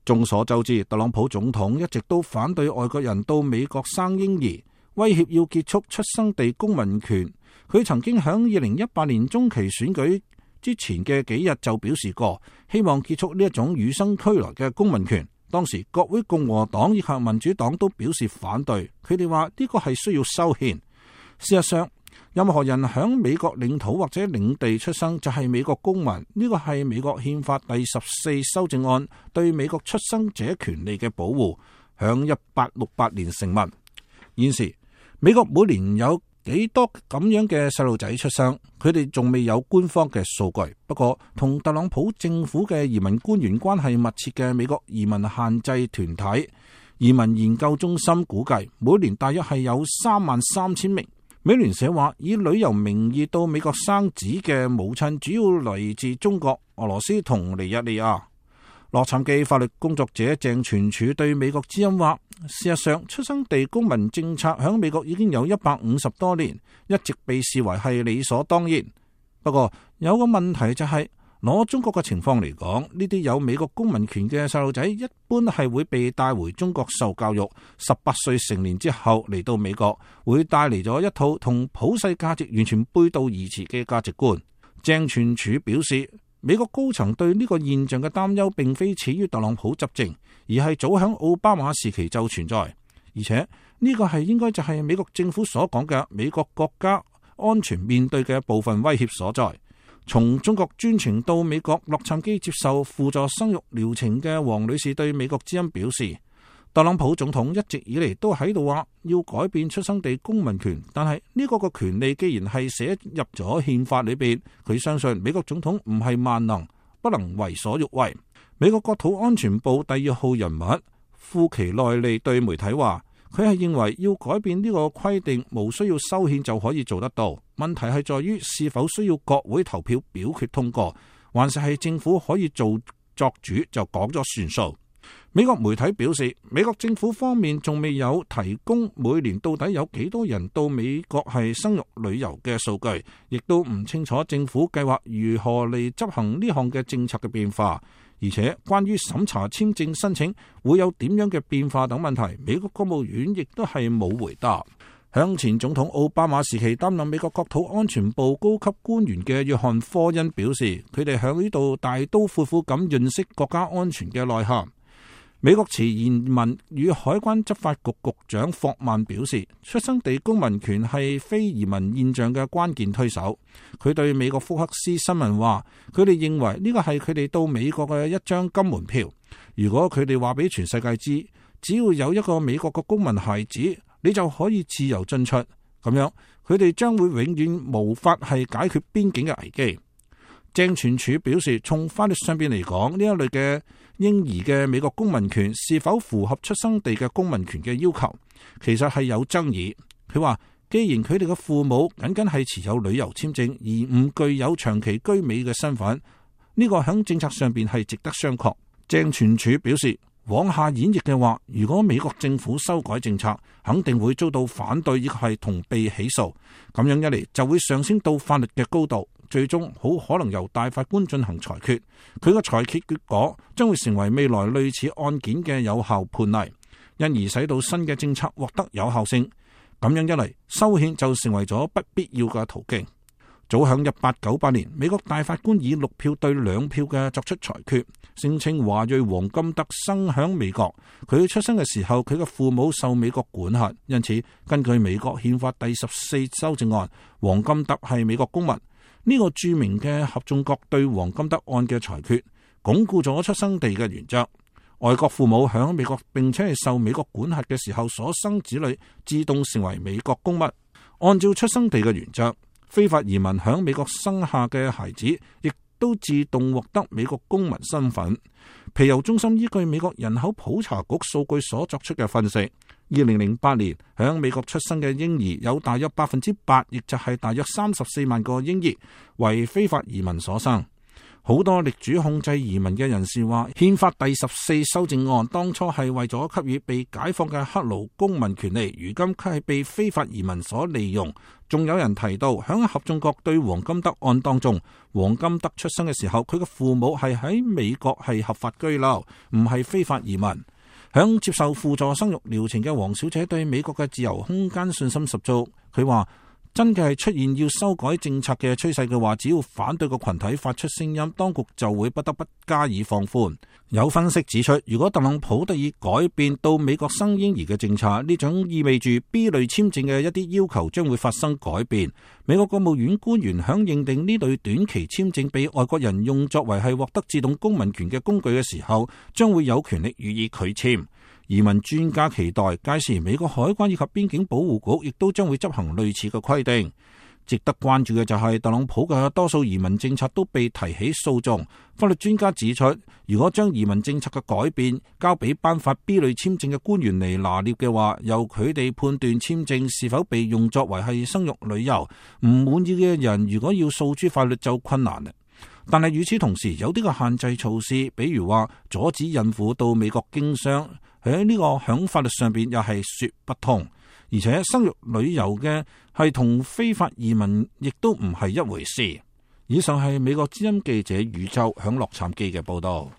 眾所周知，特朗普總統一直都反對外國人到美國生嬰兒，威脅要結束出生地公民權。佢曾經喺2018年中期選舉之前嘅幾日就表示過，希望結束呢一種與生俱來嘅公民權。當時國會共和黨以及民主黨都表示反對，佢哋話呢個係需要修憲。事實上，任何人喺美國領土或者領地出生就係美國公民，呢個係美國憲法第14修正案對美國出生者權利嘅保護，響1868年成文。現時美國每年有幾多咁樣嘅細路仔出生，佢哋仲未有官方嘅數據。不過同特朗普政府嘅移民官員關係密切嘅美國移民限制團體移民研究中心估計，每年大約係有33000名。美聯社話，以旅遊名義到美國生子嘅母親主要嚟自中國、俄羅斯同尼日利亞。洛杉磯法律工作者鄭全柱對美國之音話，事實上出生地公民政策喺美國已經有150多年，一直被視為係理所當然。不過有個問題就係，攞中國嘅情況嚟講，呢啲有美國公民權嘅細路仔一般係會被帶回中國受教育，18歲成年之後嚟到美國，會帶嚟咗一套同普世價值完全背道而馳嘅價值觀。鄭全柱表示，美國高層對呢個現象嘅擔憂並非始於特朗普執政，而係早響奧巴馬時期就存在，而且呢個係應該就係美國政府所講嘅美國國家安全面對嘅部分威脅所在。從中國專程到美國洛杉磯接受輔助生育療程嘅黃女士對美國之音表示，特朗普總統一直以嚟都喺度話要改變出生地公民權，但係呢個個權利既然係寫入咗憲法裏邊，佢相信美國總統唔係萬能，不能為所欲為。美國國土安全部第2號人物庫奇內利對媒體話，佢係認為要改變呢個規定，無需要修憲就可以做得到。問題係在於是否需要國會投票表決通過，還是係政府可以作主就講咗算數。美國媒體表示，美國政府方面仲未有提供每年到底有幾多人到美國係生育旅遊嘅數據，亦都唔清楚政府計劃如何嚟執行呢項嘅政策嘅變化。而且關於審查簽證申請會有點樣嘅變化等問題，美國國務院亦都係冇回答。向前總統奧巴馬時期擔任美國國土安全部高級官員嘅約翰科恩表示，佢哋響呢度大刀闊斧咁認識國家安全嘅內涵。美國前移民與海關執法局局長霍曼表示，出生地公民權係非移民現象嘅關鍵推手。佢對美國福克斯新聞話，佢哋認為呢個係佢哋到美國嘅一張金門票。如果佢哋話俾全世界知，只要有一個美國嘅公民孩子，你就可以自由進出，咁樣佢哋將會永遠無法係解決邊境嘅危機。鄭全柱表示，從法律上邊嚟講，呢一類嘅嬰兒嘅美國公民權是否符合出生地嘅公民權嘅要求，其實係有爭議。佢話，既然佢哋嘅父母僅僅係持有旅遊簽證而唔具有長期居美嘅身份，呢個喺政策上邊係值得商榷。鄭全柱表示，往下演繹嘅話，如果美國政府修改政策，肯定會遭到反對，亦係同被起訴。咁樣一嚟，就會上升到法律嘅高度，最終好可能由大法官進行裁決。佢個裁決結果將會成為未來類似案件嘅有效判例，因而使到新嘅政策獲得有效性。咁樣一嚟，修憲就成為咗不必要嘅途徑。早響1898年，美國大法官以6票對2票嘅作出裁決，聲稱華裔黃金德生響美國，佢出生嘅時候佢嘅父母受美國管轄，因此根據美國憲法第14修正案，黃金德係美國公民。呢個著名嘅合眾國對黃金德案嘅裁決，鞏固咗出生地嘅原則。外國父母響美國並且係受美國管轄嘅時候所生子女，自動成為美國公民。按照出生地嘅原則，非法移民響美國生下嘅孩子，亦都自動獲得美國公民身份。皮尤中心依據美國人口普查局數據所作出嘅分析，2008年響美國出生嘅嬰兒有大約8%，亦就係大約34萬個嬰兒為非法移民所生。好多力主控制移民嘅人士話，憲法第14修正案當初係為咗給予被解放嘅黑奴公民權利，如今卻係被非法移民所利用。仲有人提到，響合眾國對黃金德案當中，黃金德出生嘅時候，佢嘅父母係喺美國係合法居留，唔係非法移民。響接受輔助生育療程嘅黃小姐對美國嘅自由空間信心十足，佢話，真嘅係出現要修改政策嘅趨勢嘅話，只要反對個群體發出聲音，當局就會不得不加以放寬。有分析指出，如果特朗普得以改變到美國生嬰兒嘅政策，呢種意味住 B 類簽證嘅一啲要求將會發生改變。美國國務院官員響認定呢類短期簽證俾外國人用作為係獲得自動公民權嘅工具嘅時候，將會有權力予以拒簽。移民專家期待屆時美國海關以及邊境保護局亦都將會執行類似嘅規定。值得關注嘅就係特朗普嘅多數移民政策都被提起訴訟。法律專家指出，如果將移民政策嘅改變交俾頒發 B 類簽證嘅官員嚟拿捏嘅話，由佢哋判斷簽證是否被用作為係生育旅遊，唔滿意嘅人如果要訴諸法律就困難啦。但係與此同時，有啲嘅限制措施，比如話阻止孕婦到美國經商，喺呢個響法律上邊又係說不通。而且生育旅遊嘅係同非法移民亦都唔係一回事。以上係美國之音記者宇宙響洛杉磯嘅報道。